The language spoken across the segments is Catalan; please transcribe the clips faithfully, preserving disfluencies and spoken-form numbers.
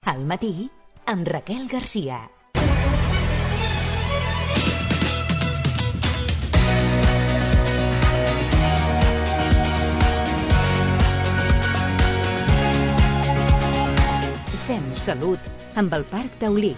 Al matí, amb Raquel Garcia. Fem salut amb el Parc Taulí.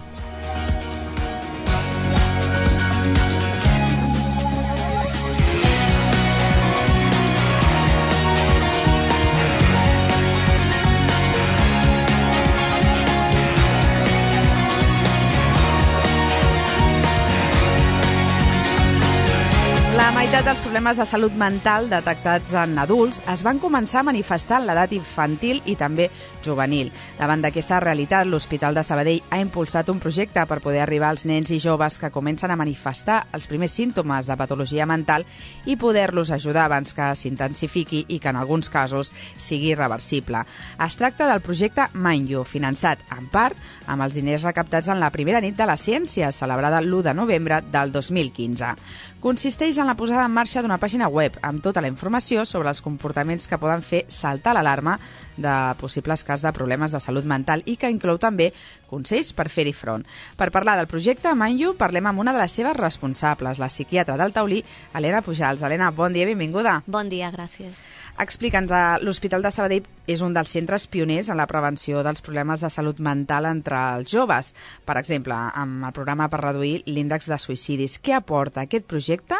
La meitat dels problemes de salut mental detectats en adults es van començar a manifestar en l'edat infantil i també juvenil. Davant d'aquesta realitat, l'Hospital de Sabadell ha impulsat un projecte per poder arribar als nens i joves que comencen a manifestar els primers símptomes de patologia mental i poder-los ajudar abans que s'intensifiqui i que en alguns casos sigui reversible. Es tracta del projecte MindYou, finançat en part amb els diners recaptats en la primera nit de la ciència, celebrada l'u de novembre del dos mil quinze. Consisteix en la posada en marxa d'una pàgina web amb tota la informació sobre els comportaments que poden fer saltar l'alarma de possibles casos de problemes de salut mental i que inclou també consells per fer-hi front. Per parlar del projecte MindYou, parlem amb una de les seves responsables, la psiquiatra del Taulí, Helena Pujals. Helena, bon dia, benvinguda. Bon dia, gràcies. Explica'ns, l'Hospital de Sabadell és un dels centres pioners en la prevenció dels problemes de salut mental entre els joves. Per exemple, amb el programa per reduir l'índex de suïcidis. Què aporta aquest projecte,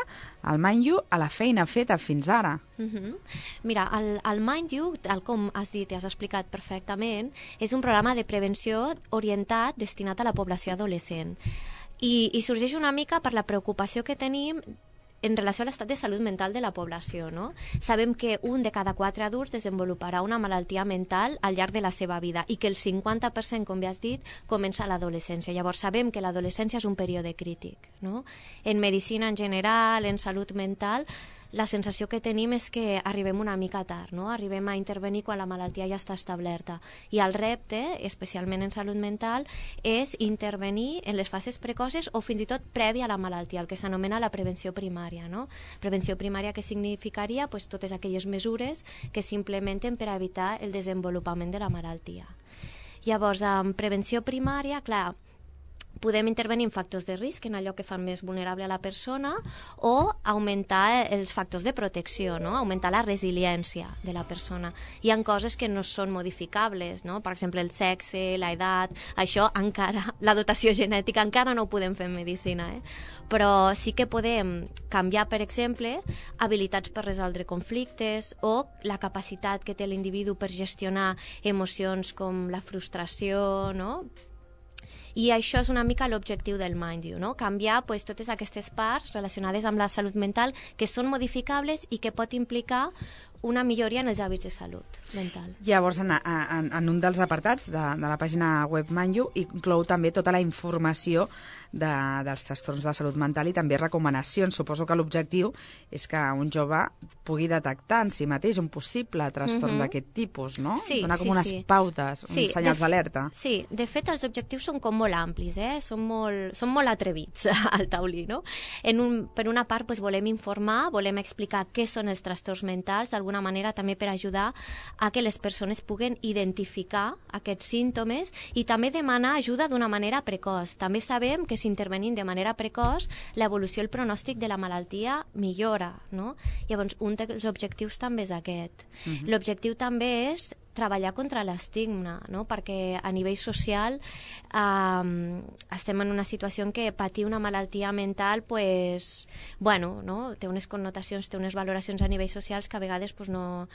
el MindYou, a la feina feta fins ara? Uh-huh. Mira, el, el MindYou, tal com has dit i has explicat perfectament, és un programa de prevenció orientat destinat a la població adolescent. I, i sorgeix una mica per la preocupació que tenim en relació a l'estat de salut mental de la població, no? Sabem que un de cada quatre adults desenvoluparà una malaltia mental al llarg de la seva vida i que el cinquanta per cent, com bé has dit, comença a l'adolescència. Llavors sabem que l'adolescència és un període crític, no? En medicina en general, en salut mental, la sensació que tenim és que arribem una mica tard, no? Arribem a intervenir quan la malaltia ja està establerta. I el repte, especialment en salut mental, és intervenir en les fases precoces o fins i tot prèvia a la malaltia, el que s'anomena la prevenció primària, no? Prevenció primària que significaria pues, totes aquelles mesures que s'implementen per evitar el desenvolupament de la malaltia. Llavors, en prevenció primària, clar, podem intervenir en factors de risc, en allò que fan més vulnerable a la persona, o augmentar els factors de protecció, no? Augmentar la resiliència de la persona. Hi ha coses que no són modificables, no? Per exemple, el sexe, l'edat, això encara, la dotació genètica encara no ho podem fer en medicina, eh? Però sí que podem canviar, per exemple, habilitats per resoldre conflictes o la capacitat que té l'individu per gestionar emocions com la frustració, no? I això és una mica l'objectiu del MindYou, no? Canviar pues, totes aquestes parts relacionades amb la salut mental que són modificables i que pot implicar una milloria en els hàbits de salut mental. Llavors, en, en, en un dels apartats de, de la pàgina web MindYou inclou també tota la informació de, dels trastorns de salut mental i també recomanacions. Suposo que l'objectiu és que un jove pugui detectar en si mateix un possible trastorn mm-hmm. d'aquest tipus, no? Sí, Donar com sí, unes sí. pautes, sí, uns senyals d'alerta. Sí, de fet els objectius són com molt amplis, eh? Són molt, són molt atrevits al Taulí, no? En un, per una part pues, volem informar, volem explicar què són els trastorns mentals, d'alguna manera també per ajudar a que les persones puguen identificar aquests símptomes i també demanar ajuda d'una manera precoç. També sabem que si intervenim de manera precoç, l'evolució i el pronòstic de la malaltia millora, no? Llavors, un dels objectius també és aquest. Uh-huh. L'objectiu també és treballar contra l'estigma, no? Perquè a nivell social eh, estem en una situació en què patir una malaltia mental pues, bueno, no? Té unes connotacions, té unes valoracions a nivell socials que a vegades pues, no,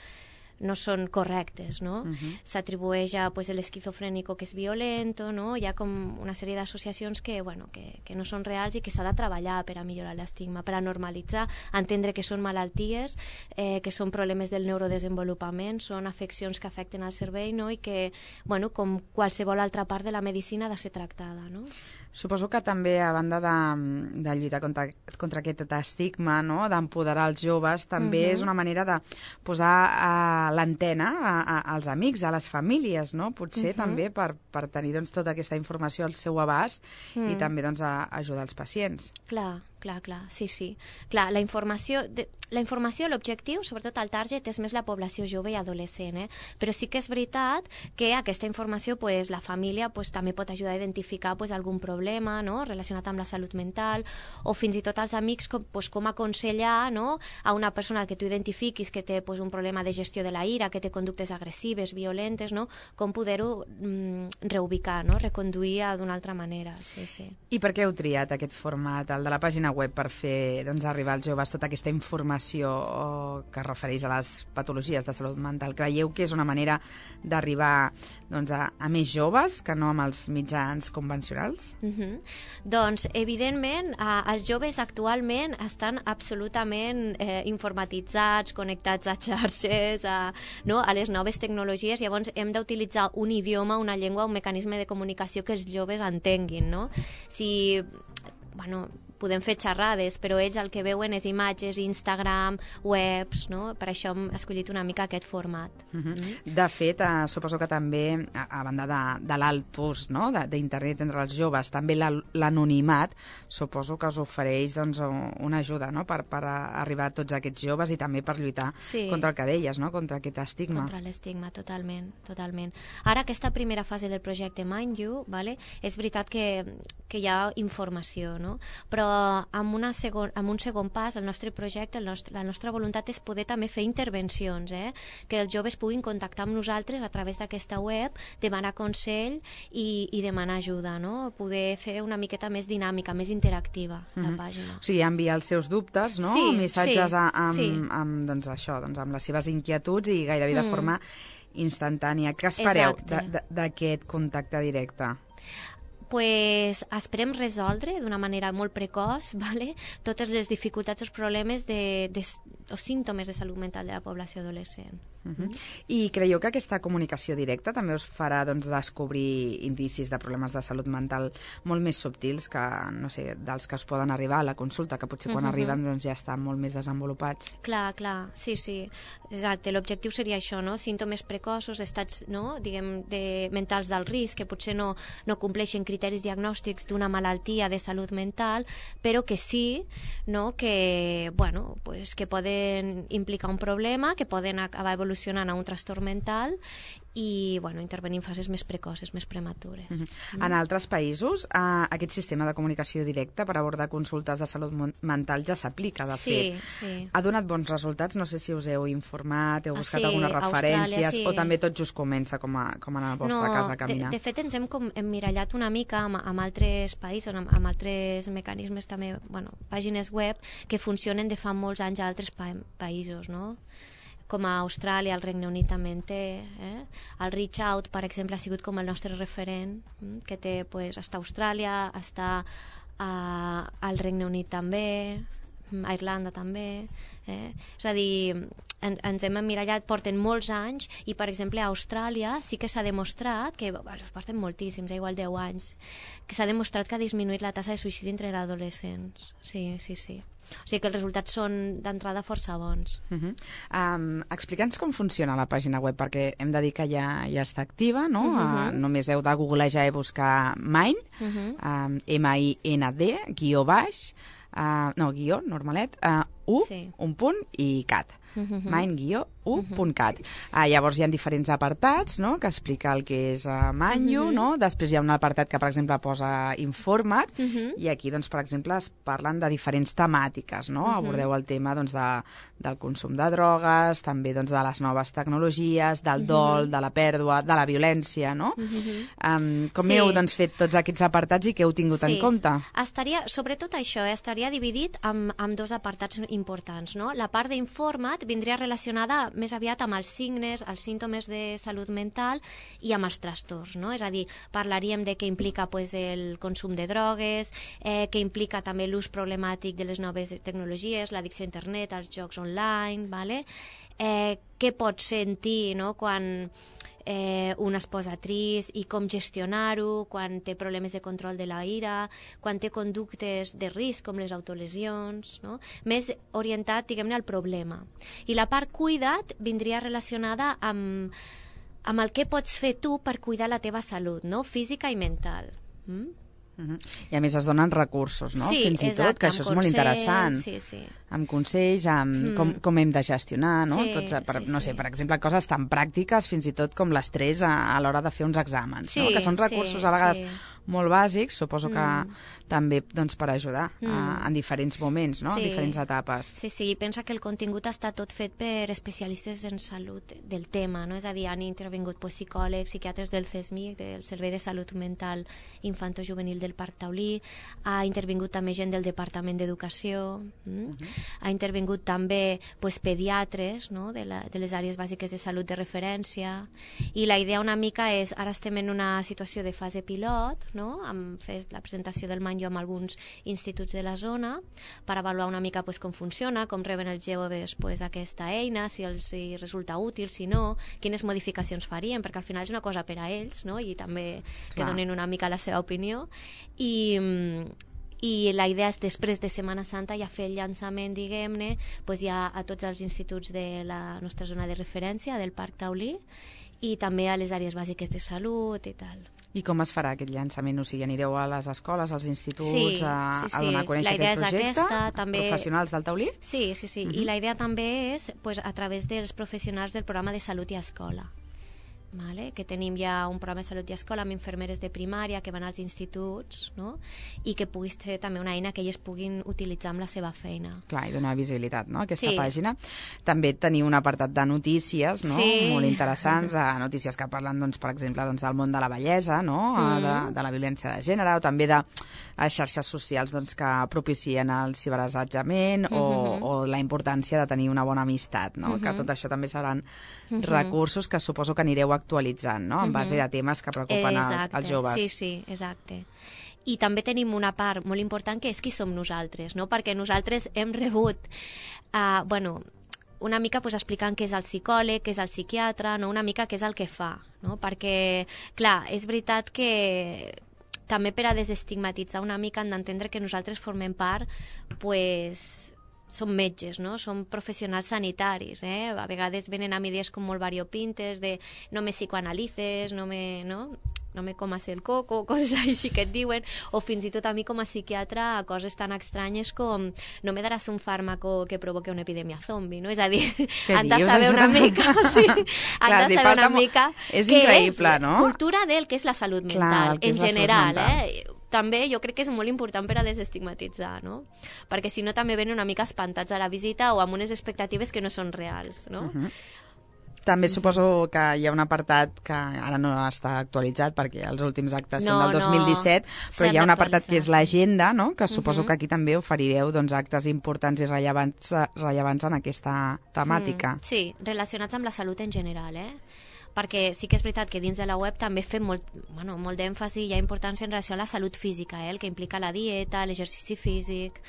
no són correctes, no? Uh-huh. S'atribueix a pues, l'esquizofrènico que és violento, no? Hi ha com una sèrie d'associacions que, bueno, que, que no són reals i que s'ha de treballar per a millorar l'estigma, per a normalitzar, entendre que són malalties, eh, que són problemes del neurodesenvolupament, són afeccions que afecten al cervell, no? I que, bueno, com qualsevol altra part de la medicina ha de ser tractada, no? Suposo que també, a banda de, de lluitar contra, contra aquest estigma, no? D'empoderar els joves, també uh-huh. és una manera de posar a l'antena a, a, als amics, a les famílies, no? Potser uh-huh. també per, per tenir doncs, tota aquesta informació al seu abast uh-huh. i també doncs, a, a ajudar els pacients. Clar. clar, clar, sí, sí. Clar, la informació, de, la informació, l'objectiu, sobretot el target, és més la població jove i adolescent, eh? Però sí que és veritat que aquesta informació, pues, la família pues, també pot ajudar a identificar pues, algun problema, no?, relacionat amb la salut mental, o fins i tot els amics com, pues, com aconsellar, no?, a una persona que tu identifiquis que té pues, un problema de gestió de la ira, que té conductes agressives, violentes, no?, com poder-ho mm, reubicar, no?, reconduir d'una altra manera. Sí, sí. I per què heu triat aquest format, el de la pàgina web, per fer doncs, arribar als joves tota aquesta informació que es refereix a les patologies de salut mental? Creieu que és una manera d'arribar doncs, a, a més joves que no amb els mitjans convencionals? Mm-hmm. Doncs, evidentment, eh, els joves actualment estan absolutament eh, informatitzats, connectats a xarxes, a, no, a les noves tecnologies, llavors hem d'utilitzar un idioma, una llengua, un mecanisme de comunicació que els joves entenguin, no? Si, bueno, podem fer xerrades, però ells el que veuen és imatges, Instagram, webs, no? Per això hem escollit una mica aquest format. Uh-huh. Mm. De fet, eh, suposo que també, a, a banda de, de l'alt ús, no?, d'internet entre els joves, també l'anonimat, suposo que us ofereix doncs, una ajuda, no?, per, per arribar a tots aquests joves i també per lluitar sí. contra el que deies, no?, contra aquest estigma. Contra l'estigma, totalment, totalment. Ara, aquesta primera fase del projecte Mind You, vale? És veritat que, que hi ha informació, no?, però amb, una segon, amb un segon pas, el nostre projecte, el nostre, la nostra voluntat és poder també fer intervencions, eh? Que els joves puguin contactar amb nosaltres a través d'aquesta web, demanar consell i, i demanar ajuda, no? Poder fer una miqueta més dinàmica, més interactiva, mm-hmm. la pàgina. O sigui, enviar els seus dubtes, no? Sí, missatges sí, a, amb, sí. amb, doncs això, doncs amb les seves inquietuds i gairebé mm. de forma instantània. Què espereu d'aquest contacte directe? Pues esperem resoldre d'una manera molt precoç, vale? Totes les dificultats o problemes de, de, o símptomes de salut mental de la població adolescent. Uh-huh. I creieu que aquesta comunicació directa també us farà doncs, descobrir indicis de problemes de salut mental molt més subtils que, no sé, dels que us poden arribar a la consulta, que potser quan uh-huh. arriben doncs, ja estan molt més desenvolupats? Clar, clar, sí, sí. Exacte, l'objectiu seria això, no? Símptomes precoços, estats, no?, diguem, de, mentals del risc, que potser no, no compleixen criteris diagnòstics d'una malaltia de salut mental, però que sí, no?, que, bueno, pues, que poden implicar un problema, que poden acabar evolucionant a un trastorn mental i, bueno, intervenir en fases més precoces, més prematures. Mm-hmm. Mm. En altres països, eh, aquest sistema de comunicació directa per abordar consultes de salut mental ja s'aplica, de sí, fet. Sí. Ha donat bons resultats? No sé si us heu informat, heu buscat ah, sí, algunes referències, sí. o també tot just comença com a, com a la vostra no, casa a caminar? De, de fet, ens hem com emmirallat una mica amb, amb altres països, amb, amb altres mecanismes també, bueno, pàgines web que funcionen de fa molts anys a altres pa països, no?, com a Austràlia, el Regne Unit també en té. Eh? El Reach Out, per exemple, ha sigut com el nostre referent, eh? que té, pues, està a Austràlia, està a, al Regne Unit també, a Irlanda també. Eh? És a dir, en, ens hem emmirallat, porten molts anys, i, per exemple, a Austràlia sí que s'ha demostrat, que bueno, porten moltíssims, igual deu anys, que s'ha demostrat que ha disminuït la tassa de suïcidi entre adolescents. Sí, sí, sí. O sigui que els resultats són d'entrada força bons. Uh-huh. um, Explica'ns com funciona la pàgina web, perquè hem de dir que ja, ja està activa, no? Uh-huh. uh, només heu de googlejar i buscar Mind, uh-huh. um, M I N D, guió baix, uh, no, guió, normalet, uh, U, sí. un punt i cat. Uh-huh. Mind guió u punt cat. Uh, llavors hi ha diferents apartats, no?, que explica el que és uh, Mind You, uh-huh. no? Després hi ha un apartat que, per exemple, posa informa't, uh-huh. i aquí, doncs, per exemple, es parlen de diferents temàtiques, no? Uh-huh. Abordeu el tema, doncs, de, del consum de drogues, també, doncs, de les noves tecnologies, del dol, uh-huh. de la pèrdua, de la violència, no? Uh-huh. um, com sí. heu, doncs, fet tots aquests apartats i què heu tingut sí. en compte? Estaria, sobretot això, eh, estaria dividit amb, amb dos apartats importants, no? La part d'informat vindria relacionada més aviat amb els signes, els símptomes de salut mental i amb els trastorns, no? És a dir, parlaríem de què implica pues, el consum de drogues, eh, què implica també l'ús problemàtic de les noves tecnologies, l'addicció a internet, als jocs online, vale? eh, què pots sentir, no?, quan eh, un es posa trist i com gestionar-ho, quan té problemes de control de la ira, quan té conductes de risc com les autolesions, no? Més orientat, diguem-ne, al problema. I la part cuida't vindria relacionada amb, amb el que pots fer tu per cuidar la teva salut, no?, física i mental. Mm? Uh-huh. I a més es donen recursos, no? Sí, Fins i exacte, tot, que això és molt consells, interessant. Sí, sí. Amb consells, amb mm. com, com hem de gestionar, no? Sí, Tots, per, sí, no sí. sé, per exemple, coses tan pràctiques, fins i tot com l'estrès a, a l'hora de fer uns exàmens, sí, no? Que són recursos sí, a vegades sí. molt bàsics, suposo que Mm. també doncs, per ajudar Mm. a, en diferents moments, no? Sí. En diferents etapes. Sí, sí, pensa que el contingut està tot fet per especialistes en salut del tema, no? És a dir, han intervingut pues, psicòlegs, psiquiatres del C E S M I C, del Servei de Salut Mental Infanto-Juvenil del Parc Taulí, ha intervingut també gent del Departament d'Educació, mm? uh-huh. ha intervingut també pues, pediatres, no? de, la, de les àrees bàsiques de salut de referència, i la idea una mica és, ara estem en una situació de fase pilot, no? Hem fet la presentació del Manjo amb alguns instituts de la zona per avaluar una mica pues, com funciona, com reben els joves pues, aquesta eina, si els si resulta útil, si no, quines modificacions farien, perquè al final és una cosa per a ells, no? I també que Clar. donen una mica la seva opinió. I, i la idea és després de Setmana Santa ja fer el llançament, diguem-ne, pues, ja a tots els instituts de la nostra zona de referència, del Parc Taulí, i també a les àrees bàsiques de salut i tal. I com es farà aquest llançament? O sigui, anireu a les escoles, als instituts, Sí, a, sí, sí. a donar a conèixer La idea aquest és projecte? aquesta, també- Professionals del taulí? Sí, sí, sí. Mhm. I la idea també és pues, a través dels professionals del programa de Salut i Escola. Vale? Que tenim ja un programa de salut i escola amb infermeres de primària que van als instituts, no? I que pugui ser també una eina que elles puguin utilitzar amb la seva feina. Clar, i donar visibilitat, no?, a aquesta Sí. pàgina. També teniu un apartat de notícies, no?, Sí. molt interessants, uh, notícies que parlen, doncs, per exemple, doncs, del món de la bellesa, no?, mm. de, de la violència de gènere, o també de uh, xarxes socials doncs, que propicien el ciberassetjament mm-hmm. o, o la importància de tenir una bona amistat, no?, mm-hmm. que tot això també seran mm-hmm. recursos que suposo que anireu actualitzant, no?, en base a temes que preocupen als, als joves. Sí, sí, exacte. I també tenim una part molt important que és qui som nosaltres, no? Perquè nosaltres hem rebut, uh, bueno, una mica pues, explicant què és el psicòleg, què és el psiquiatre, no? Una mica què és el que fa, no? Perquè, clar, és veritat que també per a desestigmatitzar una mica han d'entendre que nosaltres formem part, pues, som metges, no? Som professionals sanitaris, eh? A vegades venen amb idees com molt variopintes de no me psicoanalices, no me, no? no me comas el coco, coses així que et diuen, o fins i tot a mi com a psiquiatra coses tan estranyes com no me daràs un fàrmaco que provoque una epidèmia zombi, no? És a dir, han de dius, saber això? una mica, sí, han Clar, de si saber falta una mo- mica és què increïble, és no? cultura del que és la salut Clar, mental, el que és en la salut general, mental. eh? També jo crec que és molt important per a desestigmatitzar, no? Perquè si no també venen una mica espantats a la visita o amb unes expectatives que no són reals, no? Uh-huh. També suposo que hi ha un apartat que ara no està actualitzat perquè els últims actes No, són del dos mil disset, no, però hi ha un apartat que és s'han l'agenda, no?, que suposo Mhm. que aquí també oferireu doncs, actes importants i rellevants, eh, rellevants en aquesta temàtica. Mm, sí, relacionats amb la salut en general, eh? Perquè sí que és veritat que dins de la web també fem molt, bueno, molt d'èmfasi i hi ha importància en relació a la salut física, eh? El que implica la dieta, l'exercici físic,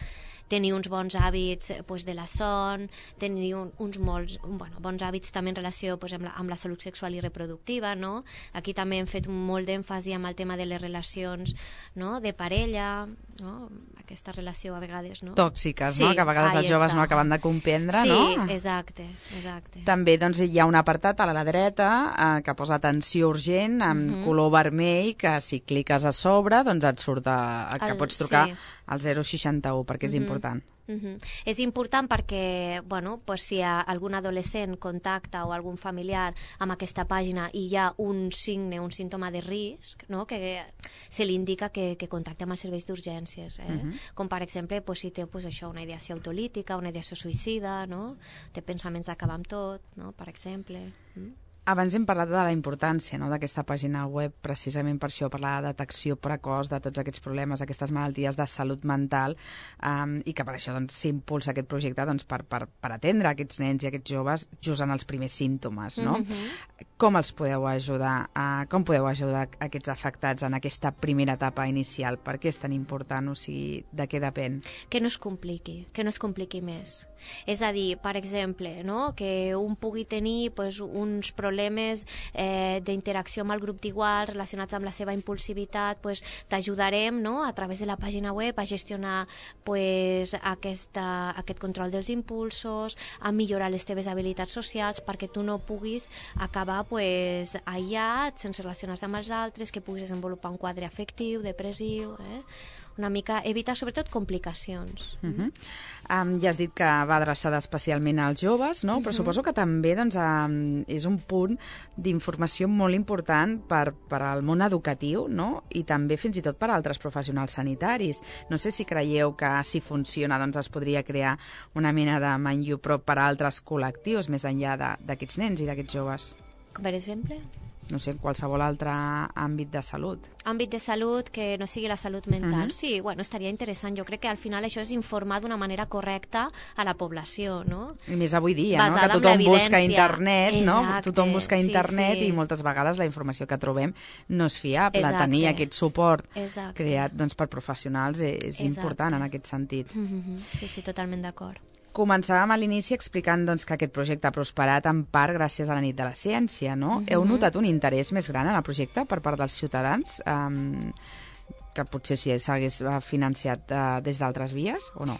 tenir uns bons hàbits eh, pues, de la son, tenir un, uns molts, bueno, bons hàbits també en relació pues, amb, la, amb la salut sexual i reproductiva, no? Aquí també hem fet molt d'èmfasi amb el tema de les relacions, no?, de parella, no?, aquesta relació a vegades, no? Tòxiques, Sí, no?, que a vegades ahí els joves està. no acaben de comprendre, sí, no? exacte, exacte. També doncs, hi ha un apartat a la dreta eh, que posa atenció urgent amb Mhm. color vermell, que si cliques a sobre doncs et surt a, a que El- pots trucar sí. al zero seixanta u, perquè és Mhm. important. Uh-huh. És important perquè, bueno, pues si a algun adolescent contacta o algun familiar amb aquesta pàgina i hi ha un signe, un símptoma de risc, no?, que se li indica que, que contacte amb els serveis d'urgències, eh? Mhm. Com per exemple pues, si té pues, això, una ideació autolítica, una ideació suïcida, no?, té pensaments d'acabar amb tot, no?, per exemple. Mm? Abans hem parlat de la importància, no?, d'aquesta pàgina web, precisament per això, per la detecció precoç de tots aquests problemes, aquestes malalties de salut mental, um, i que per això doncs, s'impulsa aquest projecte doncs, per, per, per atendre aquests nens i aquests joves just en els primers símptomes, no? Mhm. Com els podeu ajudar? Uh, com podeu ajudar aquests afectats en aquesta primera etapa inicial? Per què és tan important? O sigui, de què depèn? Que no es compliqui, que no es compliqui més. És a dir, per exemple, no?, que un pugui tenir pues, uns problemes problemes eh, d'interacció amb el grup d'iguals relacionats amb la seva impulsivitat, pues, t'ajudarem, no?, a través de la pàgina web a gestionar pues, aquesta, aquest control dels impulsos, a millorar les teves habilitats socials perquè tu no puguis acabar pues, aïllat, sense relacionar-se amb els altres, que puguis desenvolupar un quadre afectiu, depressiu, eh? Una mica, evitar sobretot complicacions. Uh -huh. um, ja has dit que va adreçada especialment als joves, no? Però uh -huh. suposo que també doncs, um, és un punt d'informació molt important per, per al món educatiu, no? I també fins i tot per a altres professionals sanitaris. No sé si creieu que si funciona doncs, es podria crear una mena de Mind You Pro per a altres col·lectius més enllà d'aquests nens i d'aquests joves. Com per exemple? No sé, en qualsevol altre àmbit de salut. Àmbit de salut que no sigui la salut mental. Uh-huh. Sí, bueno, estaria interessant. Jo crec que al final això és informar d'una manera correcta a la població, no? I més avui dia, basada no? Que tothom en busca internet, no? Exacte, Tothom busca internet sí, sí. I moltes vegades la informació que trobem no és fiable. Exacte. Tenir aquest suport Exacte. creat doncs, per professionals és Exacte. important en aquest sentit. Mm-hmm. Sí, sí, totalment d'acord. Començàvem a l'inici explicant doncs, que aquest projecte ha prosperat en part gràcies a la nit de la ciència, no? Mm-hmm. Heu notat un interès més gran en el projecte per part dels ciutadans? Um, que potser si s'hagués financiat uh, des d'altres vies o no?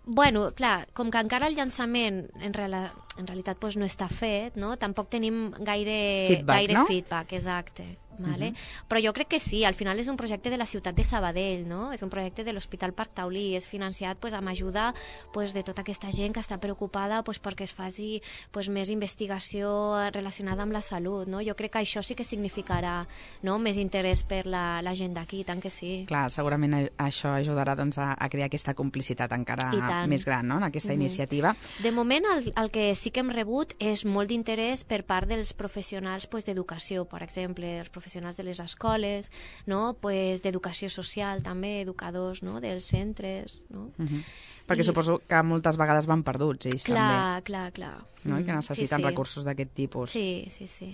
Bueno, clar, com que encara el llançament en, reala, en realitat doncs, no està fet, no? Tampoc tenim gaire feedback, gaire no? feedback, exacte. Vale? Uh-huh. Però jo crec que sí, al final és un projecte de la ciutat de Sabadell, no? És un projecte de l'Hospital Parc Taulí, és financiat pues, amb ajuda pues, de tota aquesta gent que està preocupada pues, perquè es faci pues, més investigació relacionada amb la salut, no? Jo crec que això sí que significarà, no?, més interès per la, la gent d'aquí, tant que sí. Clar, segurament això ajudarà doncs, a, a crear aquesta complicitat encara més gran, no?, en aquesta uh-huh. iniciativa. De moment, el, el que sí que hem rebut és molt d'interès per part dels professionals pues, d'educació, per exemple, els professionals de les escoles, no? Pues, d'educació social també, educadors, no?, dels centres, no? Uh-huh. Perquè I... suposo que moltes vegades van perduts ells clar, també. Clar, clar, no? I que necessiten sí, sí. recursos d'aquest tipus. Sí, sí, sí.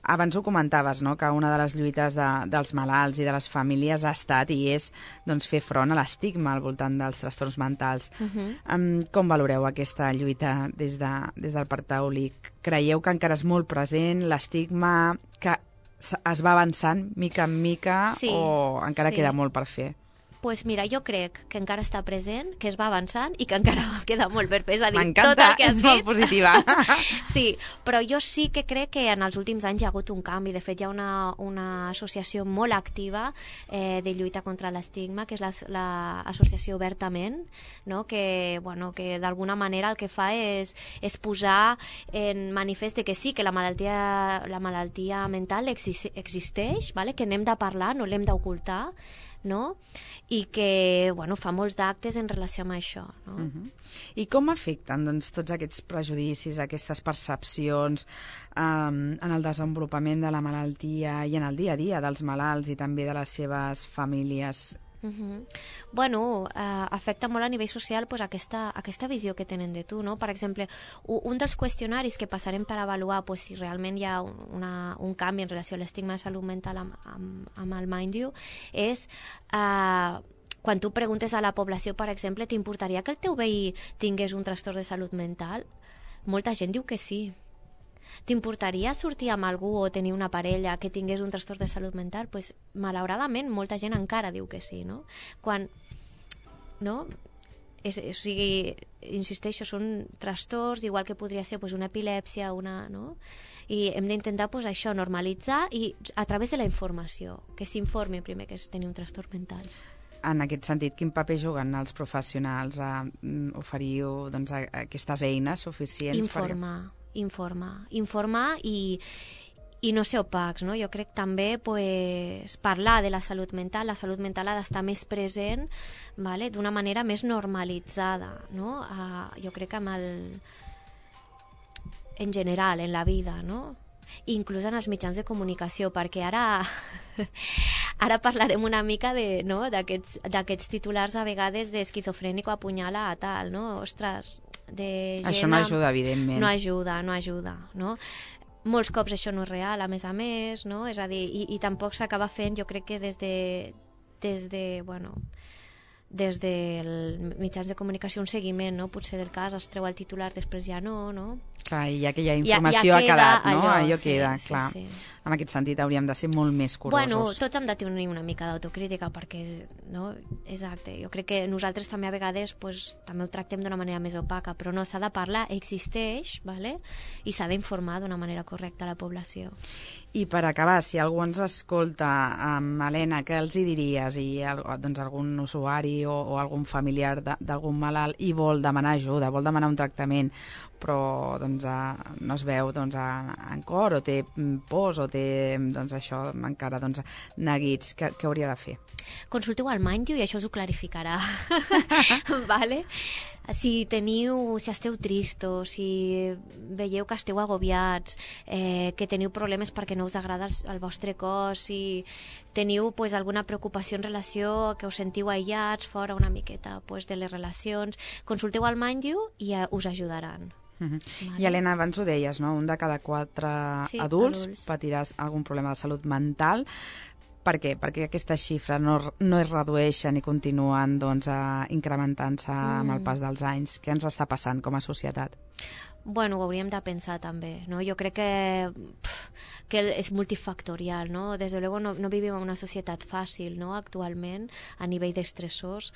Abans ho comentaves, no?, que una de les lluites de, dels malalts i de les famílies ha estat i és doncs, fer front a l'estigma al voltant dels trastorns mentals. Uh-huh. Um, com valoreu aquesta lluita des, de, des del Parc Taulí? Creieu que encara és molt present l'estigma, que es va avançant mica en mica sí, o encara sí. queda molt per fer? Pues mira, jo crec que encara està present, que es va avançant i que encara queda molt per fer. És a dir, m'encanta, tot el que has és dit. molt positiva. Sí, però jo sí que crec que en els últims anys hi ha hagut un canvi. De fet, hi ha una, una associació molt activa eh, de lluita contra l'estigma, que és l'associació la, Obertament, no? que, bueno, que d'alguna manera el que fa és, és posar en manifest que sí, que la malaltia, la malaltia mental exi existeix, vale? Que n'hem de parlar, no l'hem d'ocultar, no? I que bueno, fa molts d'actes en relació amb això. No? Uh-huh. I com afecten doncs, tots aquests prejudicis, aquestes percepcions um, en el desenvolupament de la malaltia i en el dia a dia dels malalts i també de les seves famílies? Uh-huh. Bueno, eh, afecta molt a nivell social pues, aquesta, aquesta visió que tenen de tu, no? Per exemple, un dels qüestionaris que passarem per avaluar pues, si realment hi ha una, un canvi en relació a l'estigma de salut mental amb, amb, amb el Mind You és eh, quan tu preguntes a la població, per exemple, t'importaria que el teu veí tingués un trastorn de salut mental? Molta gent diu que sí. T'importaria sortir amb algú o tenir una parella que tingués un trastorn de salut mental? Pues, malauradament, molta gent encara diu que sí, no? Quan, no? És, o sigui, insisteixo, són trastorns, igual que podria ser pues, una epilèpsia, una, no? I hem d'intentar pues, això, normalitzar i a través de la informació, que s'informi primer que és tenir un trastorn mental. En aquest sentit, quin paper juguen els professionals a oferir doncs, a aquestes eines suficients? Informar. Per... informar, informar i, i no ser opacs, no? Jo crec també pues, parlar de la salut mental, la salut mental ha d'estar més present, vale? D'una manera més normalitzada, no? Uh, jo crec que amb el... en general, en la vida, no? Inclús en els mitjans de comunicació, perquè ara ara parlarem una mica de, no? d'aquests titulars a vegades d'esquizofrènic o apunyala a tal, no? Ostres, de gent... Això no ajuda, evidentment. No ajuda, no ajuda, no? Molts cops això no és real, a més a més, no? És a dir, i, i tampoc s'acaba fent, jo crec que des de, des de, bueno, des dels mitjans de comunicació un seguiment, no? Potser del cas es treu el titular, després ja no, no? Clar, i aquella informació ja, ja ha quedat, no? allò, Allò sí, queda, sí, clar. Sí. En aquest sentit hauríem de ser molt més curosos. Bueno, tots hem de tenir una mica d'autocrítica perquè, no? Exacte, jo crec que nosaltres també a vegades pues, també ho tractem d'una manera més opaca, però no, s'ha de parlar, existeix, vale? I s'ha d'informar d'una manera correcta a la població. I per acabar, si algú ens escolta, um, Helena, què els hi diries? I doncs, algun usuari o, o algun familiar d'algun malalt i vol demanar ajuda, vol demanar un tractament, però doncs, uh, no es veu doncs, en cor o té pors o té doncs, això encara doncs, neguits, què, què hauria de fer? Consulteu al Mind You i això us ho clarificarà. Vale? Si teniu, si esteu tristos, si veieu que esteu agobiats, eh, que teniu problemes perquè no us agrada el, el vostre cos, si teniu pues, alguna preocupació en relació que us sentiu aïllats, fora una miqueta pues, de les relacions, consulteu al Mind You i eh, us ajudaran. Uh -huh. Vale. I Helena, abans ho deies, no? Un de cada quatre sí, adults, adults patirà algun problema de salut mental. Per què? Perquè aquestes xifres no, no es redueixen i continuen doncs, incrementant-se mm. amb el pas dels anys. Què ens està passant com a societat? Bueno, ho hauríem de pensar també, no? Jo crec que, que és multifactorial, no? Des de luego no, no vivim en una societat fàcil, no? Actualment, a nivell d'estressors.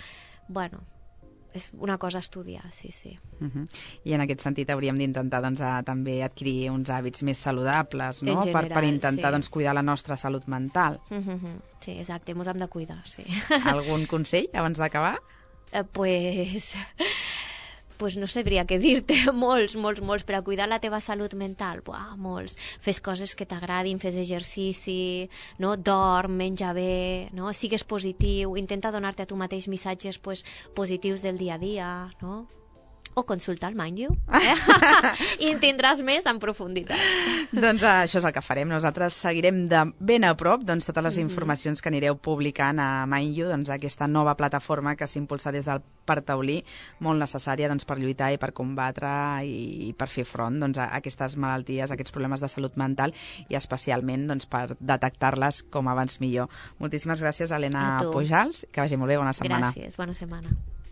Bueno, és una cosa a estudiar, sí, sí. Uh-huh. I en aquest sentit hauríem d'intentar doncs, a, també adquirir uns hàbits més saludables, no? General, per, per intentar sí. doncs, cuidar la nostra salut mental. Uh-huh. Sí, exacte, ens hem de cuidar, sí. Algun consell abans d'acabar? Eh, pues... pues no sabria què dir-te, molts, molts, molts, per a cuidar la teva salut mental, buah, molts. Fes coses que t'agradin, fes exercici, no? Dorm, menja bé, no? Sigues positiu, intenta donar-te a tu mateix missatges pues, positius del dia a dia, no? O consulta el Mind You, eh? I en tindràs més en profunditat. Doncs uh, això és el que farem. Nosaltres seguirem de ben a prop doncs, totes les informacions mm-hmm. que anireu publicant a Mind You, doncs, aquesta nova plataforma que s'impulsa des del Parc Taulí, molt necessària doncs, per lluitar i per combatre i, i per fer front doncs, a aquestes malalties, a aquests problemes de salut mental i especialment doncs, per detectar-les com abans millor. Moltíssimes gràcies, Helena Pujals. Que vagi molt bé, bona setmana. Gràcies, bona setmana.